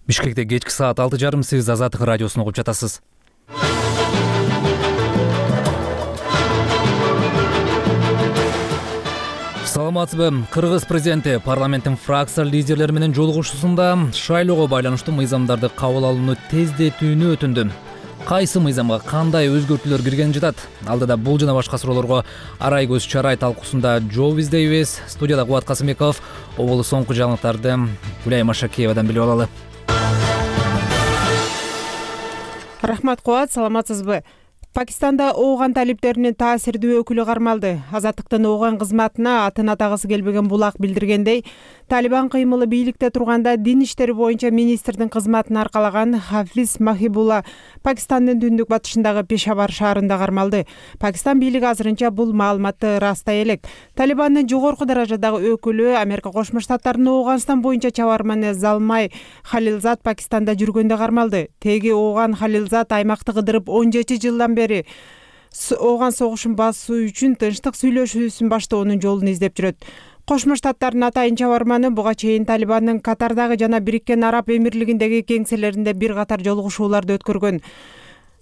Бишкекте кечки саат 6:30 сиз Азаттык радиосун угуп жатасыз. Саламатсызбы? Кыргыз президенти парламенттин фракция лидерлери менен жолугушуусунда шайлоого байланыштуу мыйзамдарды кабыл алууну тездетүүнү өтүндү. Кайсы мыйзамга кандай өзгөртүүлөр киргени жатат? Алдыда бул жана башка суроолорго арай көз чарай талкуусунда жооп издейбиз. Студияда Кубат Касымбеков, оболу соңку жаңылыктарды Гүлай Машакеевадан билип алалы. Рахмат Кубат, саламатсызбы? Пакистанда ооган талиптеринин таасирдүү өкүлү кармалды. Азаттыктын ооган кызматына атын атагысы келбеген булак билдиргендей, Талибан кыймылы бийликте турганда дин иштери боюнча министрдин кызматын аркалаган Хафиз Махибулла Пакистандын түндүк батышындагы Пешавар шаарында кармалды. Пакистан бийлиги азырынча бул маалыматты ырастай элек. Талибандын жогорку даражадагы өкүлү Америка Кошмо Штаттарынын Ооганстан боюнча чабарманы Залмай Халилзад Пакистанда жүргөндө кармалды. Теги ооган Халилзад аймакты кыдырып 17 жылдан бери ооган согушун басуу үчүн тынчтык сүйлөшүүсүн баштоонун жолун издеп жүрөт. Кошмо Штаттардын атайын чабарманы буга чейин Талибандын Катардагы жана Бириккен Араб Эмирлигиндеги кеңселеринде бир катар жолугушууларды өткөргөн.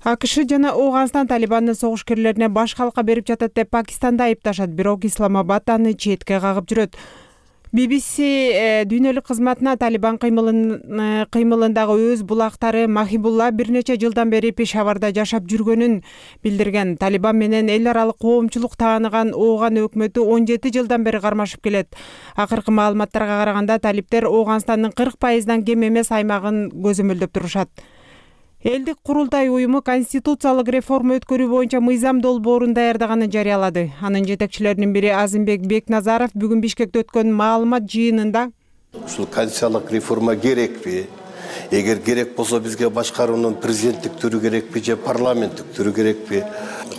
АКШ жана Ооганстан Талибандын согушкерлерине баш калка берип жатат деп Пакистанды айыпташат, бирок Исламабад аны четке кагып жүрөт. BBC дүйнөлүк кызматына Талибан кыймылындагы өз булактары Махибулла бир нече жылдан бери Пешаварда жашап жүргөнүн билдирген. Талибан менен эл аралык коомчулук тааныган Ооган өкмөтү 17 жылдан бери кармашып келет. Акыркы маалыматтарга караганда талиптер Ооганстандын 40% кем эмес аймагын көзөмөлдөп турушат. Элдик курултай уюму конституциялык реформа өткөрүү боюнча мыйзам долбоорун даярдаганын жарыялады. Анын жетекчилеринин бири Азимбек Бекназаров бүгүн Бишкекте өткөн маалымат жыйынында ушул конституциялык реформа керекпи? Эгер керек болсо бизге башкаруунун президенттик түрү керекпи же парламенттик түрү керекпи?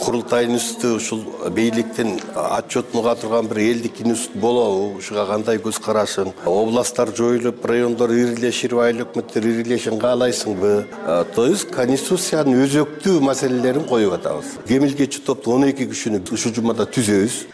Курултайдын үстү ушул бийликтин отчетун уга турган бир элдик институт болобу? Ушуга кандай көз карашың? Областтар жоюлуп, райондор ирилешип, айыл өкмөттөр ирилешин каалайсыңбы? То есть конституциянын өзөктүү маселелерин коюп атабыз. Кемилгечи топту 12 кишини ушул жумада түзөбүз.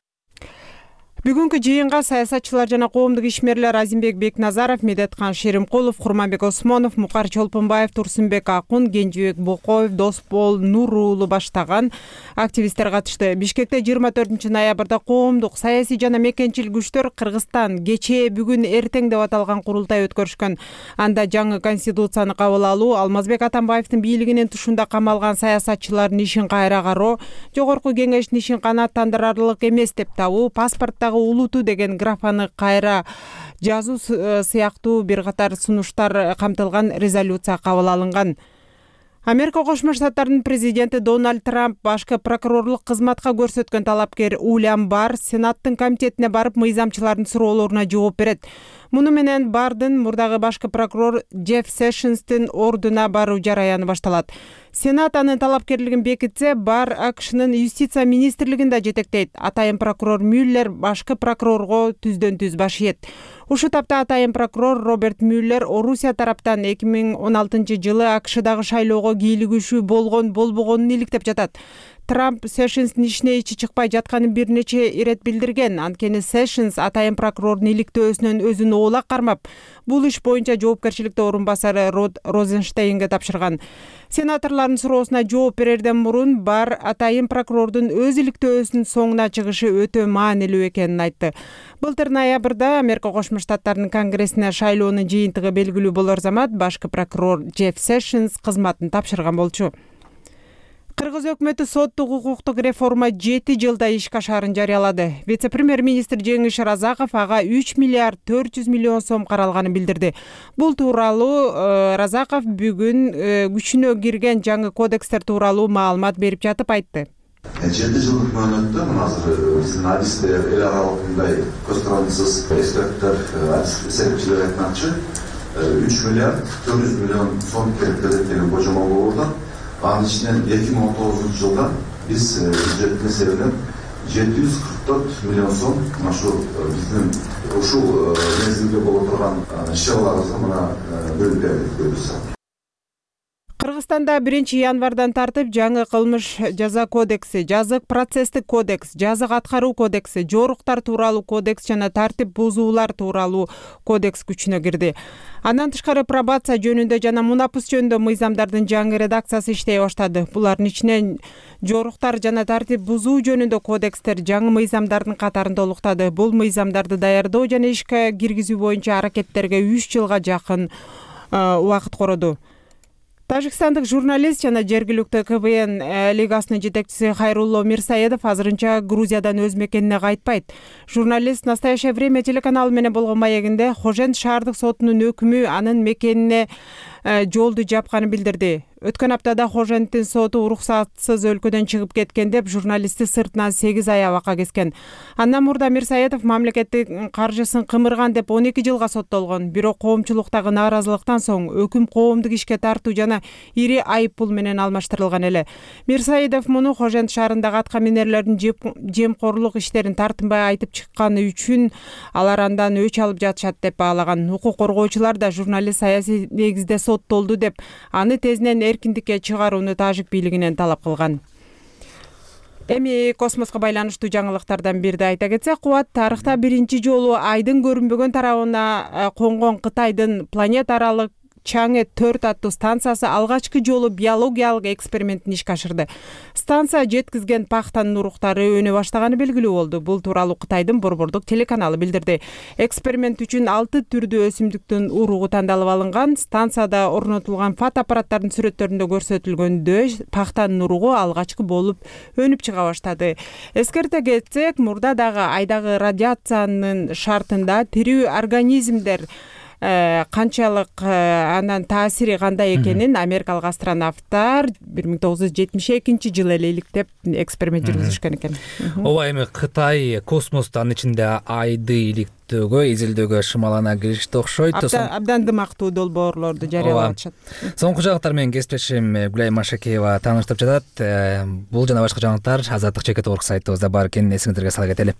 Бүгүнкү жыйынга саясатчылар жана коомдук ишмерлер Азимбек Бекназаров, Медеткан Шеримкулов, Курманбек Осмонов, Мукар Чолпонбаев, Турсунбек Акун, Кенжибек Бокоев, Досбол Нур уулу баштаган активисттер катышты. Бишкекте 24 ноябрда коомдук, саясий жана мекенчил күчтөр Кыргызстан кечээ, бүгүн, эртең деп аталган курултай өткөрүшкөн. Анда жаңы конституцияны кабыл алуу, Алмазбек Атамбаевдин бийлигинин тушунда камалган саясатчылардын ишин кайра кароо, жогорку кеңештин ишин канааттандырарлык эмес деп табуу, паспорттагы улуту деген графаны кайра жазуу сыяктуу бир катар сунуштар камтылган резолюция кабыл алынган. Америка Кошмо Штаттарынын президенти Дональд Трамп башкы прокурорлук кызматка көрсөткөн талапкер Уильям Барр Сенаттын комитетине барып мыйзамчылардын суроолоруна жооп берет. Муну менен Бардын мурдагы башкы прокурор Джефф Сэшнстин ордуна баруу жараяны башталат. Сенат анын талапкерлигин бекитсе, Барр АКШнын юстиция министрлигинде жетектейт. Атайын прокурор Мюллер башкы прокурорго түздөн-түз баш ийет. Ушул тапта атайын прокурор Роберт Мюллер Орусия тараптан 2016 жылы АКШдагы шайлоого кийлигишүү болгон-болбогонун иликтеп жатат. Трамп Сэшнстин ишине ичи чыкпай жатканын бир нече ирет билдирген. Анткени Сэшнс атайын прокурордун иликтөөсүнөн өзүн оолак кармап, бул иш боюнча жоопкерчиликте орун басары Род Розенштейнге тапшырган. Сенаторлордун суроосуна жооп берерден мурун Барр атайын прокурордун өз иликтөөсүнүн соңуна чыгышы өтө маанилүү экенин айтты. Былтыр ноябрда Америка Кошмо Штаттарынын Конгрессине шайлоонун жыйынтыгы белгилүү болор замат башкы прокурор Джефф Сэшнс кызматын тапшырган болчу. Кыргыз өкмөтү соттук укуктук реформа 7 жылда ишке ашаарын жарыялады. Вице-премьер-министр Жеңиш Разаков ага 3 миллиард 400 миллион сом каралганын билдирди. Бул тууралуу Разаков бүгүн күчүнө кирген жаңы кодекстер тууралуу маалымат берип жатып айтты. 7 жылдык мөөнөттө азыр биздин адистер, эл аралык мындай көз карандысыз эксперттер, эсептчилер айтмакчы 3 миллиард 400 миллион сом керек деген божомол болууда. Анын ичинен 2019 жылда биз бюджеттин эсебинен 744 миллион сом биздин ушул мезгилде боло турган иш-чараларыбызга мына бөлүп бердик. Кыргызстанда 1-январдан тартып жаңы кылмыш жаза кодекси, жазык процесстик кодекс, жазык аткаруу кодекси, жоруктар тууралуу кодекс жана тартип бузуулар тууралуу кодекс күчүнө кирди. Андан тышкары пробация жөнүндө жана мунапыс жөнүндө мыйзамдардын жаңы редакциясы иштей баштады. Булардын ичинен жоруктар жана тартип бузуу жөнүндө кодекстер жаңы мыйзамдардын катарында улуктады. Бул мыйзамдарды даярдоо жана ишке киргизүү боюнча аракеттерге 3 жылга жакын убакыт короду. Тажикстандык журналист жана жергиликтүү КВН лигасынын жетекчиси Хайрулло Мирсаедов азырынча Грузиядан өз мекенине кайтпайт. Журналист «Настоящее время» телеканалы менен болгон маегинде Хожент шаардык сотунун өкүмү анын мекенине жолду жапканын билдирди. Өткөн аптада Хоженттин соту уруксатсыз өлкөдөн чыгып кеткен деп журналистти сыртынан 8 ай абакка кескен. Андан мурда Мирсаедов мамлекеттин каржысын кымырган деп 12 жылга соттолгон. Бирок коомчулуктагы нааразылыктан соң өкүм коомдук ишке тартуу жана ири айып пул менен алмаштырылган эле. Мирсаедов муну Хожент шаарындагы атка минерлердин жемкорлук иштерин тартынбай айтып чыкканы үчүн алар андан өч алып жатышат деп баалаган. Укук коргоочулар да журналист саясий негизде соттолду деп аны тезинен эркиндикке чыгарууну тажик бийлигинен талап кылган. Эми космоско байланыштуу жаңылыктардан бирди айта кетсек, Кубат тарыхта биринчи жолу айдын көрүнбөгөн тарабына конгон Кытайдын планета аралык Чаңэ 4 аттуу станциясы алгачкы жолу биологиялык экспериментин ишке ашырды. Станция жеткизген пахтанын уруктары өнө баштаганы белгилүү болду. Бул тууралуу Кытайдын борбордук телеканалы билдирди. Эксперимент үчүн 6 түрдүү өсүмдүктүн уругу тандалып алынган. Станцияда орнотулган фотоаппараттардын сүрөттөрүндө көрсөтүлгөндөй пахтанын уругу алгачкы болуп өнүп чыга баштады. Эскерте кетсек, мурда дагы айдагы радиациянын шартында тирүү организмдер канчалык андан таасири кандай экенин америкалык астронавттар 1972 жылы эле иликтеп эксперимент жүргүзүшкөн экен. Ооба, эми Кытай космосту анын ичинде айды иликтөөгө, изилдөөгө шымалана киришти окшойт. Абдан дымактуу долбоорлорду жарыялап атышат. Соңку жаңылыктар менен кесиптешим Гүлай Машакеева тааныштырып жатат. Бул жана башка жаңылыктар Азаттык чекит орг сайтыбызда бар экенин эсиңиздерге сала кетели.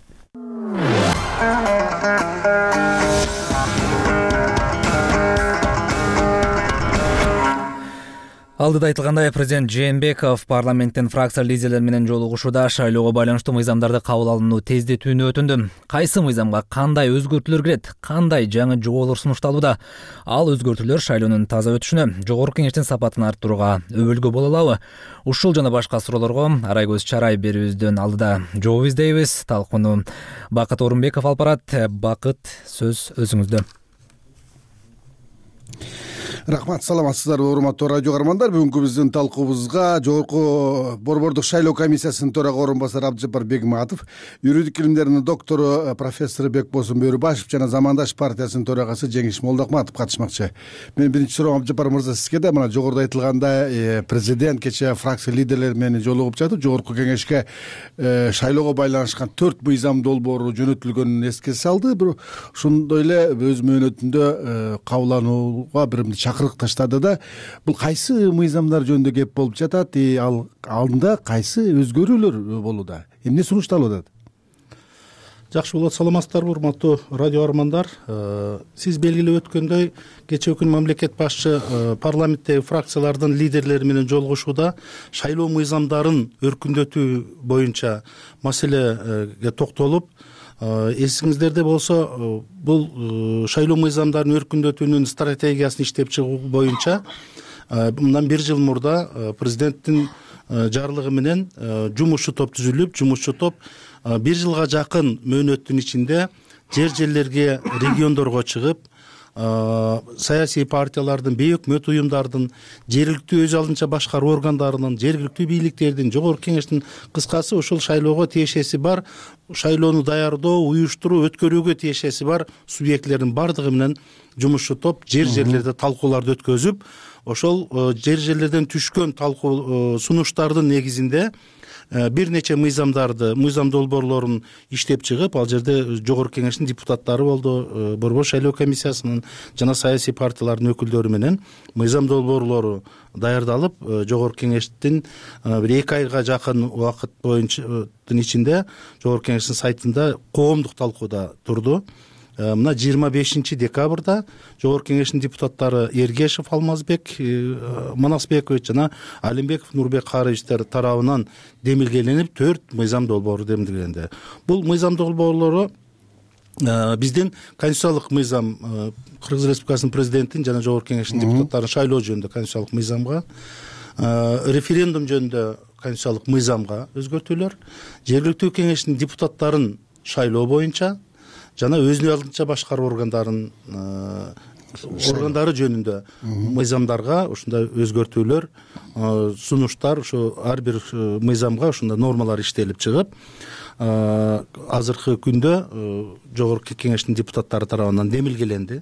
Алдыда айтылгандай, президент Жээнбеков парламенттин фракция лидерлери менен жолугушууда шайлоого байланыштуу мыйзамдарды кабыл алууну тездетүүнү өтүндү. Кайсы мыйзамга кандай өзгөртүүлөр кирет, кандай жаңы жоболор сунушталууда? Ал өзгөртүүлөр шайлоонун таза өтүшүнө, жогорку кеңештин сапатын арттырууга өбөлгө боло алабы? Ушул жана башка суроолорго Арайгөз Чарай берүүбүздөн алдыда жооп издейбиз. Талкууну Бакыт Орунбеков алып барат. Бакыт, сөз өзүңүздө. Рахмат, саламатсыздарбы урматтуу радио каармандар. Бүгүнкү биздин талкуубузга жогорку борбордук шайлоо комиссиясынын төрага орун басары Абдыжапар Бегматов, юридик илимдеринин доктору профессор Бекбосун Бөрүбашев жана Замандаш партиясынын төрагасы Жеңиш Молдокматов катышмакчы. Мен биринчи суроом Абдыжапар мырза сизге да. Мына жогоруда айтылгандай, президент кечээ фракция лидерлери менен жолугуп жатып, жогорку кеңешке шайлоого байланышкан 4 мыйзам долбоору жөнөтүлгөнүн эске салды. Ошондой эле өз мөөнөтүндө кабылданууга бир чакырык таштады да. Бул кайсы мыйзамдар жөнүндө кеп болуп жатат? Ал алдында кайсы өзгөрүүлөр болууда? Эмне сунушталып атат? Жакшы болот, саламатсыздарбы урматтуу радио каармандар. Сиз белгилеп өткөндөй, кечээ күн мамлекет башчы парламенттеги фракциялардын лидерлери менен жолугушууда шайлоо мыйзамдарын өркүндөтүү боюнча маселеге токтолуп, эсиңиздерде болсо, бул шайлоо мыйзамдарын өркүндөтүүнүн стратегиясын иштеп чыгуу боюнча мындан 1 жыл мурда президенттин жарлыгы менен жумушчу топ түзүлүп, жумушчу топ 1 жылга жакын мөөнөттүн ичинде жерлерге, региондорго чыгып, саясий партиялардын, бейөкмөт уюмдардын, жергиликтүү өз алдынча башкаруу органдарынын, жергиликтүү бийликтердин, жогорку кеңештин, кыскасы ушул шайлоого тиешеси бар, шайлоону даярдоо, уюштуруу, өткөрүүгө тиешеси бар субъектлердин бардыгы менен жумушчу топ жерлерде талкууларды өткөзүп, ошол жерлерден түшкөн талкуу сунуштардын негизинде бир нече мыйзам долбоорлорун иштеп чыгып, ал жерде жогорку кеңештин депутаттары болду, борбор шайлоо комиссиясынын жана саясий партиялардын өкүлдөрү менен мыйзам долбоорлору даярдалып, жогорку кеңештин бир 2 айга жакын убакыт боюнча ичинде жогорку кеңештин сайтында коомдук талкууда турду. мына 25 декабрда Жогорку Кеңештин депутаттары Эргешев Алмазбек Манасбекович жана Алимбеков Нурбек Карыевичтер тарабынан демилгеленип 4 мыйзам долбоору демилгеленди. Бул мыйзам долбоорлору биздин конституциялык мыйзам, Кыргыз Республикасынын президентин жана Жогорку Кеңештин депутаттарын шайлоо жөнүндө конституциялык мыйзамга, референдум жөнүндө конституциялык мыйзамга өзгөртүүлөр, жергиликтүү кеңештин депутаттарын шайлоо боюнча жана өзүнө алдынча башкаруу органдары жөнүндө мыйзамдарга ушундай өзгөртүүлөр, сунуштар ушу ар бир мыйзамга ушундай нормалар иштелип чыгып, азыркы күндө Жогорку Кеңештин депутаттары тарабынан демилгеленди.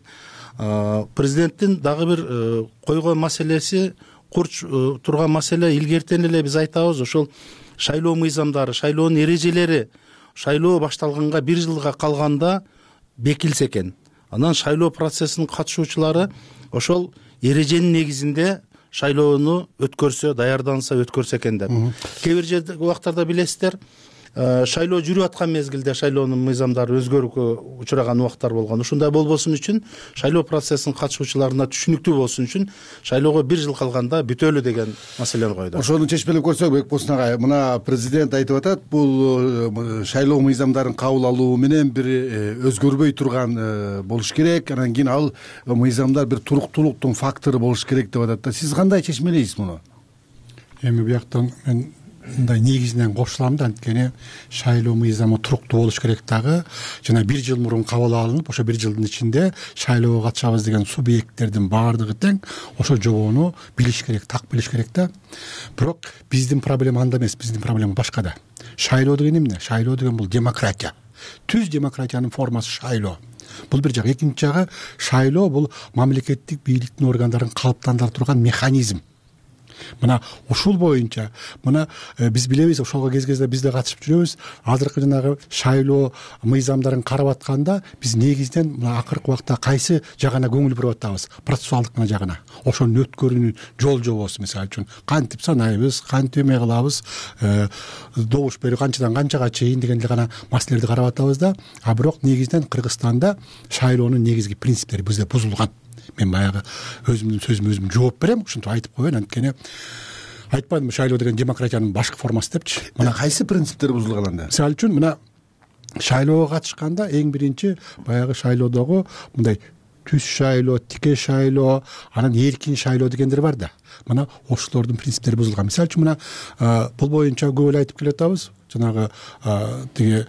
Президенттин дагы бир койгон маселеси, курч турган маселе, илгертен эле биз айтабыз, ошол шайлоо мыйзамдары, шайлоонун эрежелери шайлоо башталганга 1 жылга калганда бекилсе экен. Анан шайлоо процессинин катышуучулары ошол эреженин негизинде шайлоону өткөрсө, даярданса өткөрсө экен деп. Кээ бир жерде убактарда билесиздер, шайлоо жүрүп аткан мезгилде шайлоонун мыйзамдары өзгөрүүгө учураган убактар болгон. Ушундай болбосун үчүн, шайлоо процессинин катышуучуларына түшүнүктүү болсун үчүн шайлоого 1 жыл калганда бүтөлү деген маселени койду. Ошону чечмелеп көрсөк, Бекболсун агай, мына президент айтып атат, бул шайлоо мыйзамдарын кабыл алуу менен бир өзгөрбөй турган болуш керек, анан кийин ал мыйзамдар бир туруктуулуктун фактору болуш керек деп атат да. Сиз кандай чечмелейсиз муну? Эми бияктан мен мындай негизинен кошулам да, анткени шайлоо мыйзамы туруктуу болуш керек дагы, жана 1 жыл мурун кабыл алынып, ошо 1 жылдын ичинде шайлоого катышабыз деген субъекттердин баардыгы тең ошол жобоону билиш керек, так билиш керек да. Бирок биздин проблема анда эмес, биздин проблема башкада. Шайлоо деген эмне? Шайлоо деген бул демократия. Түз демократиянын формасы шайлоо. Бул бир жак. Экинчи жагы, шайлоо бул мамлекеттик бийликтин органдарын калыптандыра турган механизм. Мына ушул боюнча, мына биз билебиз, ошолго кез-кезде биз да катышып жүрөбүз. Азыркы жанагы шайлоо мыйзамдарын карап атканда биз негизинен мына акыркы убакта кайсы жагына көңүл буруп атабыз? Процессуалдык жагына. Ошону өткөрүүнүн жол жобосу, мисалы үчүн, кантип санайбыз, кантип эме кылабыз, добуш берүү канчадан канчага чейин дегендей гана маселелерди карап атабыз да. А бирок негизинен Кыргызстанда шайлоонун негизги принциптери бизде бузулган. Мен баягы өзүмдүн сөзүмө өзүм жооп берем, ушинтип айтып коеюн, анткени айтпадым шайлоо деген демократиянын башкы формасы депчи. Мына кайсы принциптер бузулган анда? Мисалы үчүн, мына шайлоого катышканда эң биринчи баягы шайлоодогу мындай түз шайлоо, тике шайлоо, анан эркин шайлоо дегендер бар да. Мына ошолордун принциптери бузулган. Мисалы үчүн, мына бул боюнча көп эле айтып келатабыз. Жанагы тиги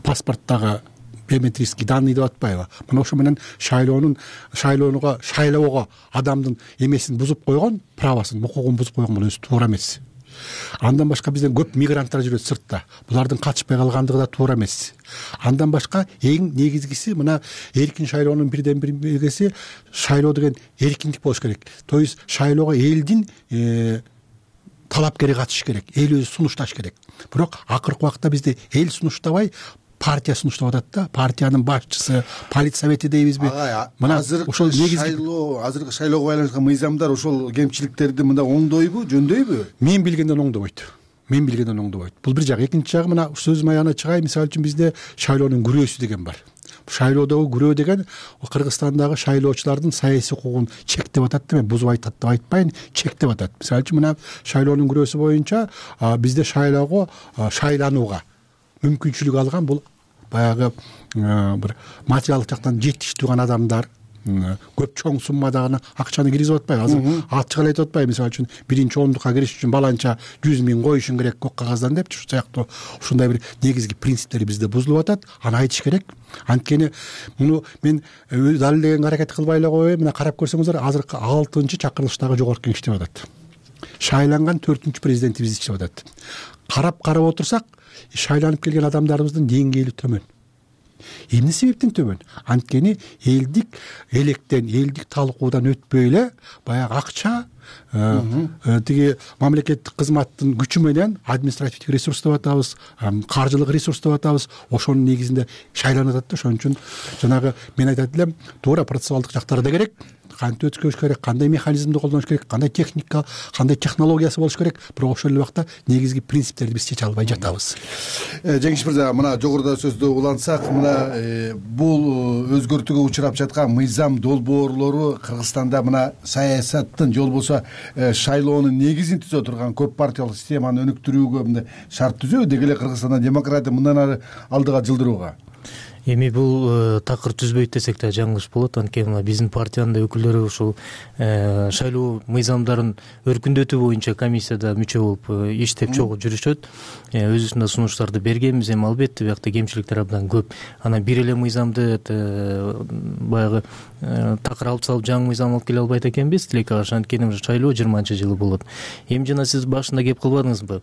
паспорттагы биометрический данные деп атпайбы? Мына ошо менен шайлоого адамдын эмесин бузуп койгон, правосын, укугун бузуп койгон бул өзү туура эмес. Андан башка бизден көп мигранттар жүрөт сыртта. Булардын катышпай калгандыгы да туура эмес. Андан башка эң негизгиси мына эркин шайлоонун бирден бир белгиси шайлоо деген эркиндик болуш керек. То есть шайлоого элдин талапкери катыш керек, эл өзү сунушташ керек. Бирок акыркы убакта бизде эл сунуштабай, партия сунуштап атат да. Партиянын башчысы, политсовети дейбизби? Мына ошол азыркы шайлоого байланышкан мыйзамдар ошол кемчиликтерди мында оңдойбу, жөндөйбү? Мен билгенден оңдобойт. Бул бир жак. Экинчи жагы, мына сөзүм аягына чыгай, мисалы үчүн бизде шайлоонун күрөөсү деген бар. Шайлоодогу күрөө деген Кыргызстандагы шайлоочулардын саясий укугун чектеп атат да. Мен бузуп айтат деп айтпайын, чектеп атат. Мисалы үчүн, мына шайлоонун күрөөсү боюнча бизде шайлоого шайланууга мүмкүнчүлүк алган бул баягы бир материалдык жактан жетиштүү гана адамдар, көп чоң суммадагы акчаны киргизип атпайбы? Азыр ачык эле айтып атпайбы? Мисалы үчүн, 1-ондукка кириш үчүн баланча 100 000 коюшуң керек көк кагаздан депчи. Ушул сыяктуу ушундай бир негизги принциптери бизде бузулуп атат. Аны айтыш керек. Анткени муну мен далилдегенге аракет кылбай эле коеюн. Мына карап көрсөңүздөр, азыркы 6-чакырылыштагы Жогорку Кеңеш деп атат. Шайланган 4-президентибиз иштеп атат. Карап отурсак, шайланып келген адамдарыбыздын деңгээли төмөн. Эмне себептен төмөн? Анткени элдик электен, элдик талкуудан өтпөй эле баягы акча, тиги мамлекеттик кызматтын күчү менен административдик ресурс деп атабыз, каржылык ресурс деп атабыз, ошонун негизинде шайланып атат да. Ошон үчүн жанагы мен айтат элем, туура процессуалдык жактары да керек, кантип өткөрүш керек, кандай механизмди колдонуш керек, кандай техника, кандай технологиясы болуш керек. Бирок ошол эле убакта негизги принциптерди биз чече албай жатабыз. Жеңиш мырза, мына жогоруда сөздү улантсак, мына бул өзгөртүүгө учурап жаткан мыйзам долбоорлору Кыргызстанда мына саясаттын же болбосо шайлоонун негизин түзө турган көп партиялык системаны өнүктүрүүгө мындай шарт түзөбү, деги эле Кыргызстанда демократия мындан ары алдыга жылдырууга? Эми бул такыр түзбөйт десек да жаңылыш болот. Анткени биздин партиянын да өкүлдөрү ушул шайлоо мыйзамдарын өркүндөтүү боюнча комиссияда мүчө болуп иштеп чогуу жүрүшөт. Өзүбүздүн да сунуштарды бергенбиз. Эми албетте биякта кемчиликтер абдан көп. Анан бир эле мыйзамды баягы такыр алып салып жаңы мыйзам алып келе албайт экенбиз. Тилекке каршы, анткени шайлоо 20-жылы болот. Эми жана сиз башында кеп калбадыңызбы?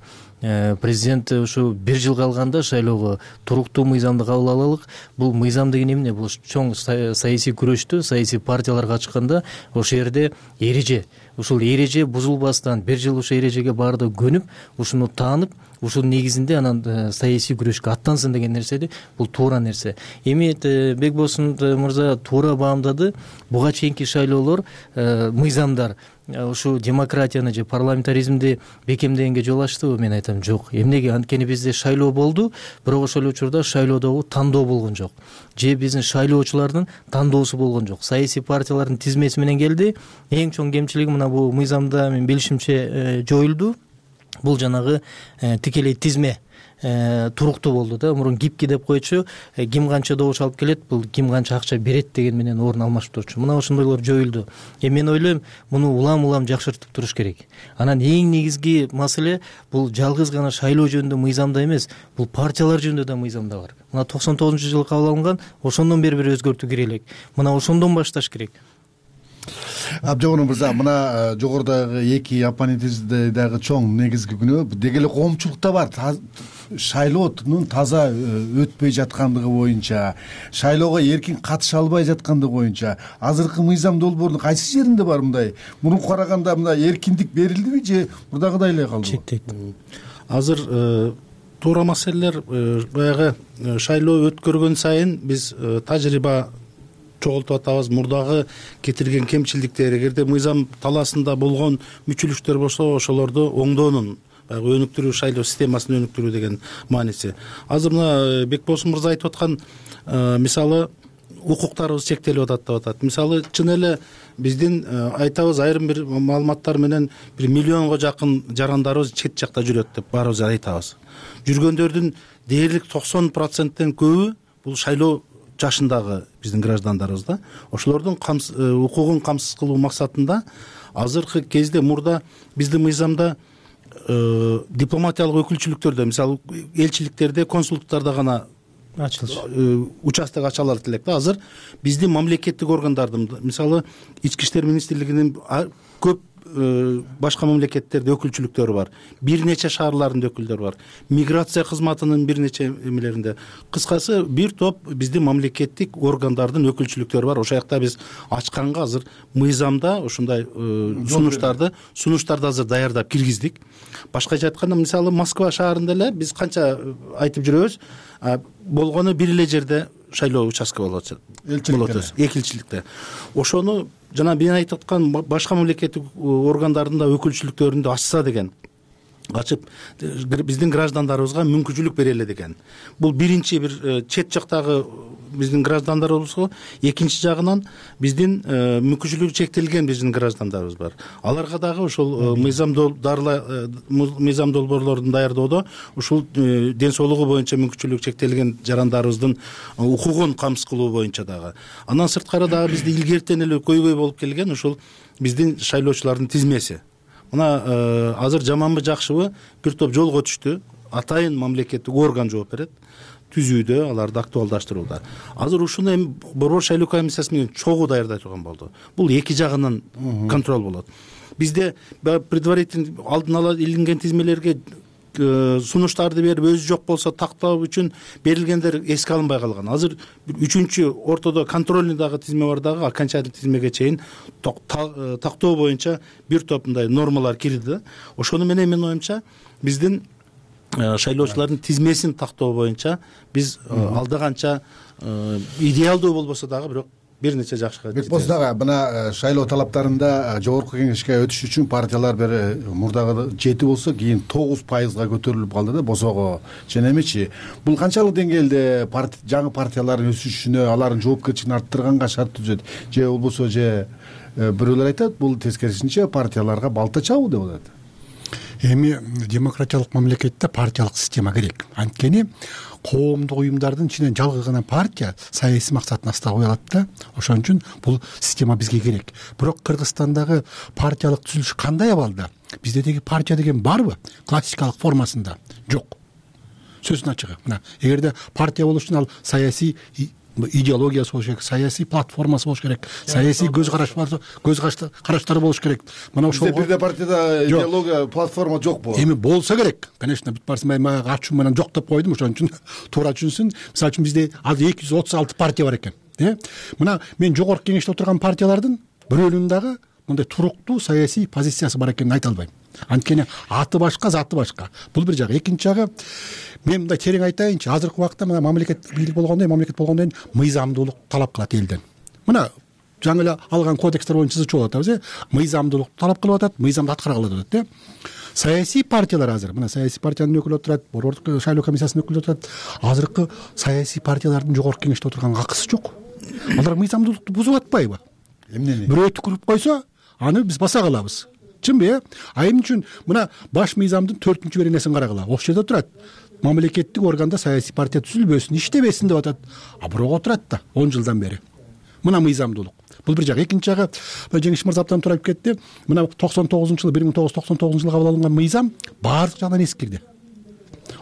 Президент ушу бир жыл калганда шайлоого туруктуу мыйзамды кабыл алалык. Бул мыйзам деген эмне? Бул чоң саясий күрөштө саясий партиялар катышканда ошол жерде эреже, ушул эреже бузулбастан бир жыл ошол эрежеге баардыгы көнүп, ушуну таанып, ушул негизинде анан саясий күрөшкө аттансын деген нерседи, бул туура нерсе. Эми Бекбосун мырза туура баамдады. Буга чейинки шайлоолор, мыйзамдар ушу демократияны же парламентаризмди бекемдегенге жол ачтыбы? Мен айтам, жок. Эмнеге? Анткени бизде шайлоо болду, бирок ошол эле учурда шайлоодогу тандоо болгон жок. Же биздин шайлоочулардын тандоосу болгон жок. Саясий партиялардын тизмеси менен келди. Эң чоң кемчилиги мына бул мыйзамда мен билишимче жоюлду. Бул жанагы тикелей тизме туруктуу болду да. Мурун гибки деп койчу, ким канча добуш алып келет, бул ким канча акча берет деген менен орун алмашып турчу. Мына ошондойлор жоюлду. Мен ойлойм, муну улам жакшыртып туруш керек. Анан эң негизги маселе бул жалгыз гана шайлоо жөнүндө мыйзамда эмес, бул партиялар жөнүндө да мыйзамда бар. Мына 99-жылы кабыл алынган, ошондон бери бир өзгөртүү кире элек. Мына ошондон башташ керек. Абжогон мырза, мына жогорудагы эки оппонентибизде дагы чоң негизги күнөө деги эле коомчулукта бар. Шайлоонун таза өтпөй жаткандыгы боюнча, шайлоого эркин катыша албай жаткандыгы боюнча азыркы мыйзам долбоорунун кайсы жеринде бар мындай? Мурунку караганда мындай эркиндик берилдиби же мурдагыдай эле калдыбы? Азыр туура маселелер баягы шайлоо өткөргөн сайын биз тажрыйба чогултуп атабыз. Мурдагы кетирген кемчиликтер, эгерде мыйзам талаасында болгон мүчүлүктөр болсо, ошолорду оңдоонун, баягы өнүктүрүү, шайлоо системасын өнүктүрүү деген мааниси. Азыр мына Бекбосун мырза айтып аткан мисалы укуктарыбыз чектелип атат деп атат. Мисалы чын эле биздин айтабыз, айрым бир маалыматтар менен 1 миллионго жакын жарандарыбыз чет жакта жүрөт деп баарыбыз айтабыз. Жүргөндөрдүн дээрлик 90%тен көбү бул шайлоо жашындагы биздин граждандарыбыз да. Ошолордун укугун камсыз кылуу максатында азыркы кезде мурда биздин мыйзамда дипломатиялык өкүлчүлүктөрдө, мисалы элчиликтерде, консулдуктарда гана участок ача алат элек да. Азыр биздин мамлекеттик органдардын, мисалы Ички иштер министрлигинин көп башка мамлекеттерде өкүлчүлүктөрү бар. Бир нече шаарларында өкүлдөр бар. Миграция кызматынын бир нече эмелеринде. Кыскасы бир топ биздин мамлекеттик органдардын өкүлчүлүктөрү бар. Ошол жакта биз ачканга азыр мыйзамда ошондой сунуштарды азыр даярдап киргиздик. Башкача айтканда, мисалы Москва шаарында эле биз канча айтып жүрөбүз, болгону бир эле жерде шайлоо участка болот. Элчиликте. Ошону жана мен айтып аткан башка мамлекеттик органдардын да өкүлчүлүктөрүндө ачса деген, ачып биздин граждандарыбызга мүмкүнчүлүк берели деген. Бул биринчи бир чет жактагы биздин граждандарыбызга, экинчи жагынан биздин мүмкүнчүлүгү чектелген биздин граждандарыбыз бар. Аларга дагы ошол мыйзам долбоорлорун даярдоодо ушул ден соолугу боюнча мүмкүнчүлүгү чектелген жарандарыбыздын укугун камсыз кылуу боюнча дагы. Андан сырткары дагы бизде илгертен эле көйгөй болуп келген ушул биздин шайлоочулардын тизмеси. Мына азыр жаманбы жакшыбы бир топ жолго түштү. Атайын мамлекеттик орган жооп берет. Түзүүдө, аларды актуалдаштырууда. Азыр ушуну эми Борбор шайлоо комиссиясы менен чогуу даярдай турган болду. Бул эки жагынан контроль болот. Бизде предварительный алдын ала илинген тизмелерге сунуштарды берип, өзү жок болсо тактоо үчүн берилгендер эске алынбай калган. Азыр үчүнчү ортодо контрольный дагы тизме бар дагы, окончательный тизмеге чейин тактоо боюнча бир топ мындай нормалар кирди. Ошону менен менин оюмча биздин шайлоочулардын тизмесин тактоо боюнча биз алда канча идеалдуу болбосо дагы бирок бир нече жашка Бекболсун ага, мына шайлоо талаптарында жогорку кеңешке өтүш үчүн партиялар бир мурдагы 7 болсо кийин 9%га көтөрүлүп калды да босого. Жана эмечи бул канчалык деңгээлде жаңы партиялардын өсүшүнө, алардын жоопкерчилигин арттырганга шарт түзөт же болбосо же бирөөлөр айтат бул тескерисинче партияларга балта чабуу деп атат. Эми демократиялык мамлекетте партиялык система керек. Анткени коомдук уюмдардын ичинен жалгыз гана партия саясий максатын аста кое алат да. Ошон үчүн бул система бизге керек. Бирок Кыргызстандагы партиялык түзүлүш кандай абалда? Бизде деги партия деген барбы? Классикалык формасында жок. Сөздүн ачыгы. Мына, эгерде партия болуш үчүн ал саясий идеологиясы болуш керек, саясий платформасы болуш керек, саясий көз караштары болуш керек. Мына ошол бирде партияда идеология, платформа жокпу? Эми болсо керек. Конечно, бүт барсын мен ачуу менен жок деп койдум, ошон үчүн туура түшүнсүн. Мисалы үчүн бизде азыр 236 партия бар экен. Мына мен жогорку кеңеште отурган партиялардын бирөөнүн дагы мындай туруктуу саясий позициясы бар экенин айта албайм. Анткени аты башка, заты башка. Бул бир жагы. Экинчи жагы, мен мындай терең айтайынчы, азыркы убакта мына мамлекеттик бийлик болгондой, мыйзамдуулук талап кылат элден. Мына жаңы эле алган кодекстер боюнча чыгып атабыз, мыйзамдуулук талап кылып атат, мыйзамды аткаргыла деп атат. Саясий партиялар азыр, мына саясий партиянын өкүлү отурат, борбордук шайлоо комиссиясынын өкүлү отурат. Азыркы саясий партиялардын жогорку кеңеште отурган акысы жок. Алар мыйзамдуулукту бузуп атпайбы? Эмнени? Бирөө түкүрүп койсо, аны биз баса калабыз. Чынбы? Эмне үчүн мына баш мыйзамдын 4-беренесин карагыла. Ошол жерде турат. Мамлекеттик органда саясий партия түзүлбөсүн, иштебесин деп атат. А бирок отурат да 10 жылдан бери. Мына мыйзамдуулук. Бул бир жагы. Экинчи жагы, Жеңиш мырза абдан туура айтып кетти. Мына 1999 жылы кабыл алынган мыйзам баардык жагынан эскирди.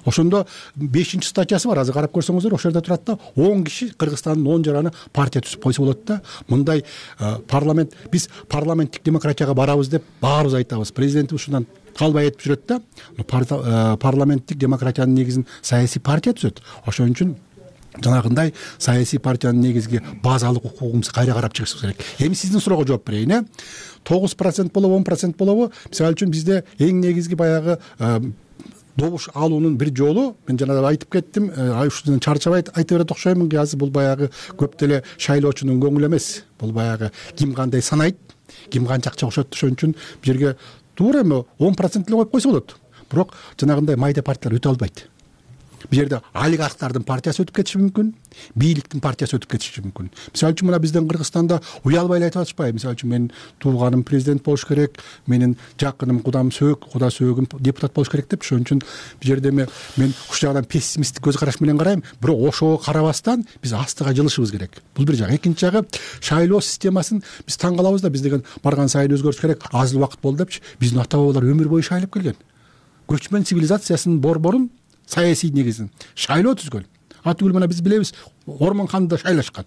Ошондо 5-статьясы бар, азыр карап көрсөңүздөр, ошол жерде турат да 10 киши Кыргызстандын 10 жараны партия түзүп койсо болот да. Мындай биз парламенттик демократияга барабыз деп баарыбыз айтабыз. Президент ушундан калбай айтып жүрөт да. Парламенттик демократиянын негизин саясий партия түзөт. Ошон үчүн жанагындай саясий партиянын негизги базалык укугубузду кайра карап чыгышыбыз керек. Эми сиздин суроого жооп берейин. 9% болобу, 10% болобу? Мисалы үчүн бизде эң негизги баягы добуш алуунун бир жолу, мен жана айтып кеттим, ушундан чарчабай айта берет окшоймун, азыр бул баягы көп деле шайлоочунун көңүлү эмес. Бул баягы ким кандай санайт, ким канча акча кошот. Ошон үчүн бул жерге туура эми 10% эле коюп койсо болот. Бирок жанагындай майда партиялар өтө албайт. Бул жерде олигархтардын партиясы өтүп кетиши мүмкүн, бийликтин партиясы өтүп кетиши мүмкүн. Мисалы үчүн мына биздин Кыргызстанда уялбай эле айтып атышпайбы? Мисалы үчүн менин тууганым президент болуш керек, менин жакыным куда сөөгүм депутат болуш керек деп. Ошон үчүн бул жерде мен ушул жагынан пессимисттик көз караш менен карайм. Бирок ошого карабастан биз астыга жылышыбыз керек. Бул бир жагы. Экинчи жагы, шайлоо системасын биз таң калабыз да, биз деген барган сайын өзгөрүш керек, аз эле убакыт болду депчи. Биздин ата бабалар өмүр бою шайлап келген. Көчмөн цивилизациясынын борборун, саясий негизин шайлоо түзгөн. Атүгүл мына биз билебиз, Ормон ханды шайлашкан.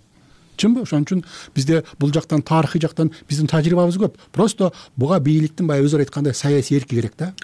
Чынбы? Ошон үчүн бизде бул жактан, тарыхый жактан биздин тажрыйбабыз көп. Просто буга бийликтин баягы өзү айткандай саясий эрки керек да.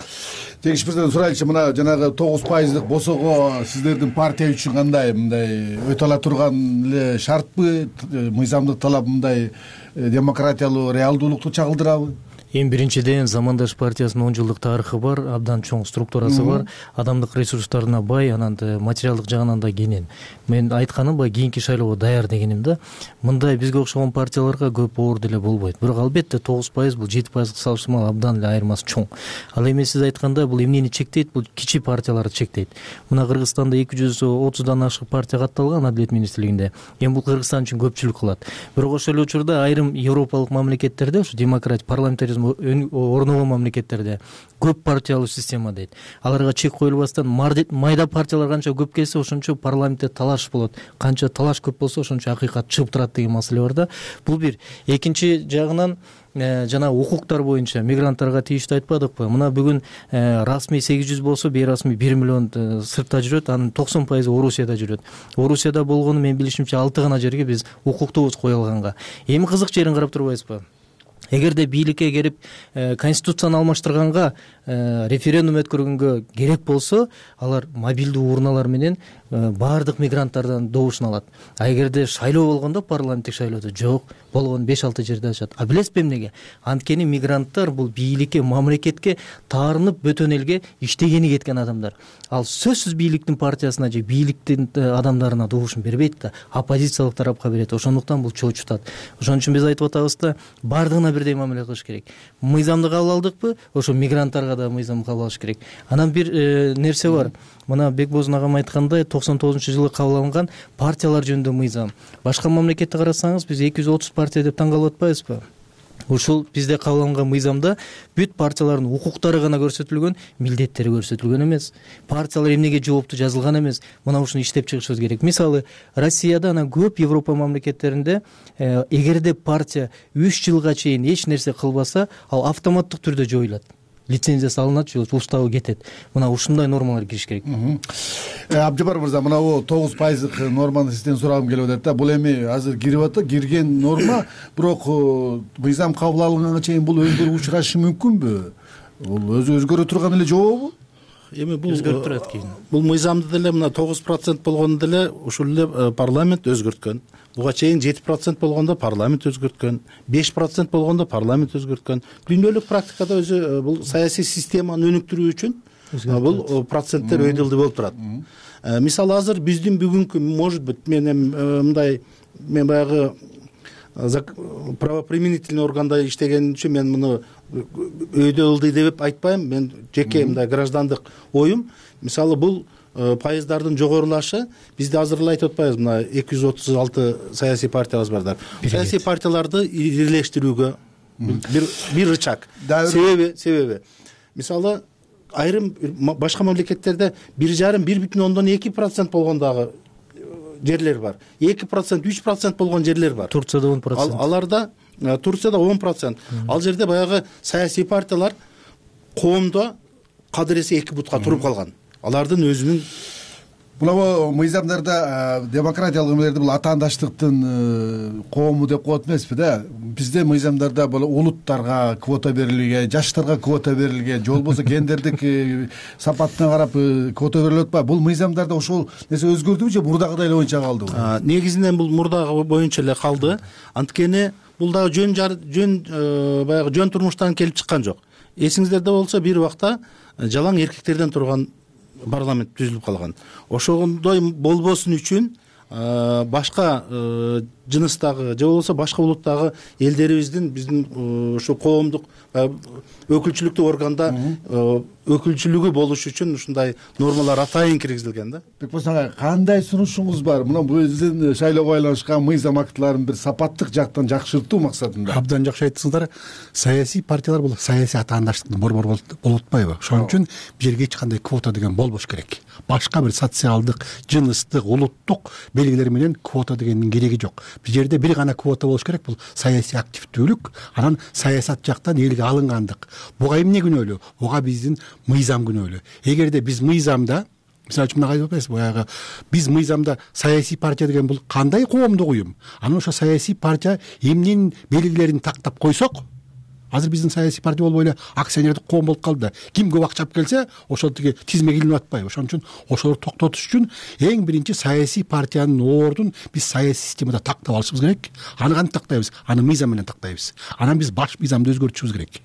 Жеңиш мырзадан сурайлычы, мына жанагы 9%дык босого сиздердин партия үчүн кандай, мындай өтө ала турган эле шартпы, мыйзамдык талап мындай демократиялуу реалдуулукту чагылдырабы? Эң биринчиден Замандаш партиясынын 10 жылдык тарыхы бар, абдан чоң структурасы бар, адамдык ресурстарына бай, анан материалдык жагынан да кенен. Мен айтканым баягы кийинки шайлоого даяр дегеним да. Мындай бизге окшогон партияларга көп оор деле болбойт. Бирок албетте 9%, бул 7%га салыштырмалуу абдан эле айырмасы чоң. Ал эми сиз айткандай бул эмнени чектейт? Бул кичи партияларды чектейт. Мына Кыргызстанда 230дан ашык партия катталган Адилет министрлигинде. Эми бул Кыргызстан үчүн көпчүлүк кылат. Бирок ошол эле учурда айрым европалык мамлекеттерде, ушу демократия, парламентаризм орногон мамлекеттерде көп партиялуу система дейт. Аларга чек коюлбастан майда партиялар канча көп келсе, ошончо парламентте талаш болот. Канча талаш көп болсо, ошончо акыйкат чыгып турат деген маселе бар да. Бул бир. Экинчи жагынан жана укуктар боюнча мигранттарга тийиштүү айтпадыкпы? Мына бүгүн расмий 800 болсо, бейрасмий 1 миллион сыртта жүрөт, анын 90% Орусияда жүрөт. Орусияда болгону мен билишимче 6 гана жерге биз укуктуубуз коюлганга. Эми кызык жерин карап турбайсызбы? Эгерде бийликке келип конституцияны алмаштырганга референдум өткөргөнгө керек болсо алар мобилдүү урналар менен баардык мигранттардан добушун алат. А эгерде шайлоо болгондо, парламенттик шайлоодо жок, болгон 5-6 жерде ачат. А билесизби эмнеге? Анткени мигранттар бул бийликке, мамлекетке таарынып бөтөн элге иштегени кеткен адамдар. Ал сөзсүз бийликтин партиясына же бийликтин адамдарына добушун бербейт да, оппозициялык тарапка берет. Ошондуктан бул чоочутат. Ошон үчүн биз айтып атабыз да, баардыгына бирдей мамиле кылыш керек. Мыйзамды кабыл алдыкпы, ошо мигранттарга да мыйзам кабыл алыш керек. Анан бир нерсе бар. Мына Бекбозун агам айткандай, 99-жылы кабыл алынган партиялар жөнүндө мыйзам. Башка мамлекетте карасаңыз, биз 230 партия деп таң калып атпайбызбы? Ушул бизде кабыл алынган мыйзамда бүт партиялардын укуктары гана көрсөтүлгөн, милдеттери көрсөтүлгөн эмес. Партиялар эмнеге жоопту жазылган эмес. Мына ушуну иштеп чыгышыбыз керек. Мисалы, Россияда анан көп Европа мамлекеттеринде эгерде партия 3 жылга чейин эч нерсе кылбаса, ал автоматтык түрдө жоюлат. Лицензиясы алынат же уставы кетет. Мына ушундай нормалар кириш керек. Абжапар мырза, мына бул 9% норманы сизден сурагым келип атат да. Бул эми азыр кирип атат, кирген норма, бирок мыйзам кабыл алынганга чейин бул өзгөрүү учурашы мүмкүнбү? Бул өзгөрө турган эле жобобу? Эми бул өзгөрүп турат кийин. Бул мыйзамды деле мына 9% болгондо деле ушул эле парламент өзгөрткөн. Буга чейин 7% болгондо парламент өзгөрткөн, 5% болгондо парламент өзгөрткөн. Дүйнөлүк практикада өзү бул саясий системаны өнүктүрүү үчүн бул проценттер өйдөлдүү болуп турат. Мисалы азыр биздин бүгүнкү, может быть, мен баягы правоприменительный органда иштеген үчүн мен муну өйдөлдүү деп айтпайм. Мен жеке мындай граждандык оюм. Мисалы бул пайыздардын жогорулашы бизде азыр эле айтып атпайбыз, мына 236 саясий партиябыз бардар. Саясий партияларды ирилештирүүгө бир рычаг. Себеби мисалы айрым башка мамлекеттерде 1,5–1,2% болгон дагы жерлер бар. 2%, 3% болгон жерлер бар. Турцияда 10%. Аларда Турцияда 10%. Ал жерде баягы саясий партиялар коомдо кадыресе 2 бутка туруп калган. Алардын өзүнүн Бул мыйзамдарда демократиялык эмелерди бул атаандаштыктын коому деп коет эмеспи да. Бизде мыйзамдарда бул улуттарга квота берилген, жаштарга квота берилген, же болбосо гендердик сапатына карап квота берилип атпайбы? Бул мыйзамдарда ошол нерсе өзгөрдүбү же мурдагыдай эле боюнча калдыбы? Негизинен бул мурдагы боюнча эле калды. Анткени бул дагы баягы жөн турмуштан келип чыккан жок. Эсиңиздерде болсо бир убакта жалаң эркектерден турган парламент түзүлүп калган. Ошондой болбосун үчүн башка жыныстагы же болбосо башка улуттагы элдерибиздин биздин ушу коомдук өкүлчүлүктүү органда өкүлчүлүгү болуш үчүн ушундай нормалар атайын киргизилген да. Бекбос ага, кандай сунушуңуз бар? Мына биздин шайлоого байланышкан мыйзам актыларын бир сапаттык жактан жакшыртуу максатында. Абдан жакшы айттыңыздар. Саясий партиялар бул саясий атаандаштыктын борбор болуп атпайбы? Ошон үчүн бул жерге эч кандай квота деген болбош керек. Башка бир социалдык, жыныстык, улуттук белгилер менен квота дегендин кереги жок. Бул жерде бир гана квота болуш керек, бул саясий активдүүлүк, анан саясат жактан элге алынгандык. Буга эмне күнөөлүү? Буга биздин мыйзам күнөөлүү. Эгерде биз мыйзамда, мисалы үчүн мына айтып атпайсызбы, баягы биз мыйзамда саясий партия деген бул кандай коомдук уюм? Анан ошо саясий партия эмненин белгилерин тактап койсок, азыр биздин саясий партия болбой эле акционердик коом болуп калды да. Ким көп акча алып келсе, ошол тиги тизмеге илинип атпайбы? Ошон үчүн ошолорду токтотуш үчүн эң биринчи саясий партиянын ордун биз саясий системада тактап алышыбыз керек. Аны кантип тактайбыз? Аны мыйзам менен тактайбыз. Анан биз баш мыйзамды өзгөртүшүбүз керек.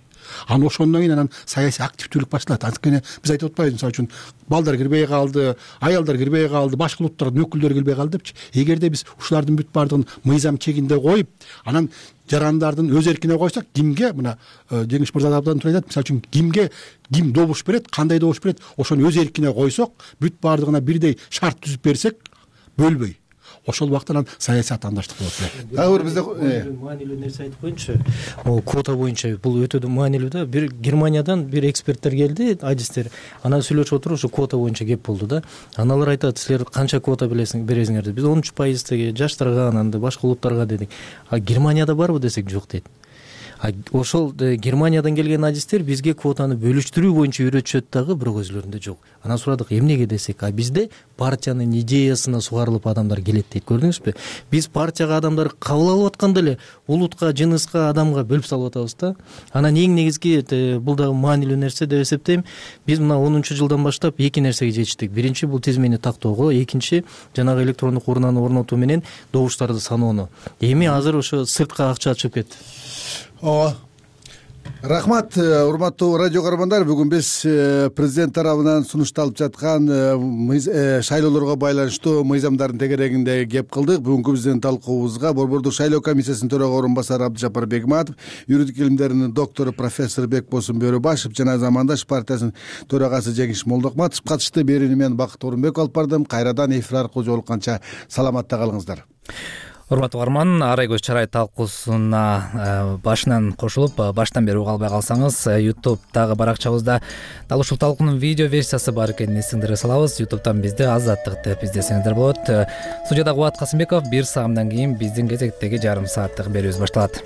Анан ошондон кийин анан саясий активдүүлүк башталат. Анткени биз айтып атпайбыз, мисалы үчүн балдар кирбей калды, аялдар кирбей калды, башка улуттардын өкүлдөрү кирбей калды депчи. Эгерде биз ушулардын бүт баардыгын мыйзам чегинде коюп, анан жарандардын өз эркине койсок, кимге, мына Жеңиш мырза абдан туура айтат, мисалы үчүн ким добуш берет, кандай добуш берет, ошону өз эркине койсок, бүт баардыгына бирдей шарт түзүп берсек, бөлбөй, ошол убакта анан саясий атаандаштык болот. Дагы бир бизде маанилүү нерсе айтып коеюнчу. Могу квота боюнча бул өтө маанилүү да. Бир Германиядан бир эксперттер келди, адистер. Анан сүйлөшүп отуруп ушу квота боюнча кеп болду да. Аналар айтат, силер канча квота бересиңер деп. Биз 13% жаштарга, анан башка улуттарга дедик. А Германияда барбы десек, жок дейт. Ошол Германиядан келген адистер бизге квотаны бөлүштүрүү боюнча үйрөтүшөт дагы, бирок өзүлөрүндө жок. Анан сурадык, эмнеге десек, бизде партиянын идеясына сугарылып адамдар келет дейт. Көрдүңүзбү? Биз партияга адамдарды кабыл алып атканда эле улутка, жыныска, адамга бөлүп салып атабыз да. Анан эң негизги бул дагы маанилүү нерсе деп эсептейм. Биз мына 10-жылдан баштап эки нерсеге жетиштик. Биринчи бул тизмени тактоого, экинчи жанагы электрондук урнаны орнотуу менен добуштарды саноону. Эми азыр ошо сыртка акча чыгып кетти. Ооба. Рахмат, урматтуу радио көрөрмандар. Бүгүн биз президент тарабынан сунушталып жаткан шайлоолорго байланыштуу мыйзамдардын тегерегинде кеп кылдык. Бүгүнкү биздин талкуубузга Борбордук шайлоо комиссиясынын төрага орун басары Абдыжапар Бегматов, юридик илимдеринин доктору профессор Бекбосун Бөрөбашев жана Замандаш партиясынын төрагасы Жеңиш Молдокматов катышты. Берүүнү мен Бакыт Орунбеков алып бардым. Кайрадан эфир аркылуу жолукканча саламатта калыңыздар. Урматтуу угарман, Арай көз чарай талкуусуна башынан кошулуп, баштан бери уга албай калсаңыз, YouTube'дагы баракчабызда дал ушул талкуунун видео версиясы бар экенин эсиңерге салабыз. YouTube'дан бизди Азаттык деп издесеңиздер болот. Студияда Кубат Касымбеков. 1 саамдан кийин биздин кезектеги жарым сааттык берүүбүз башталат.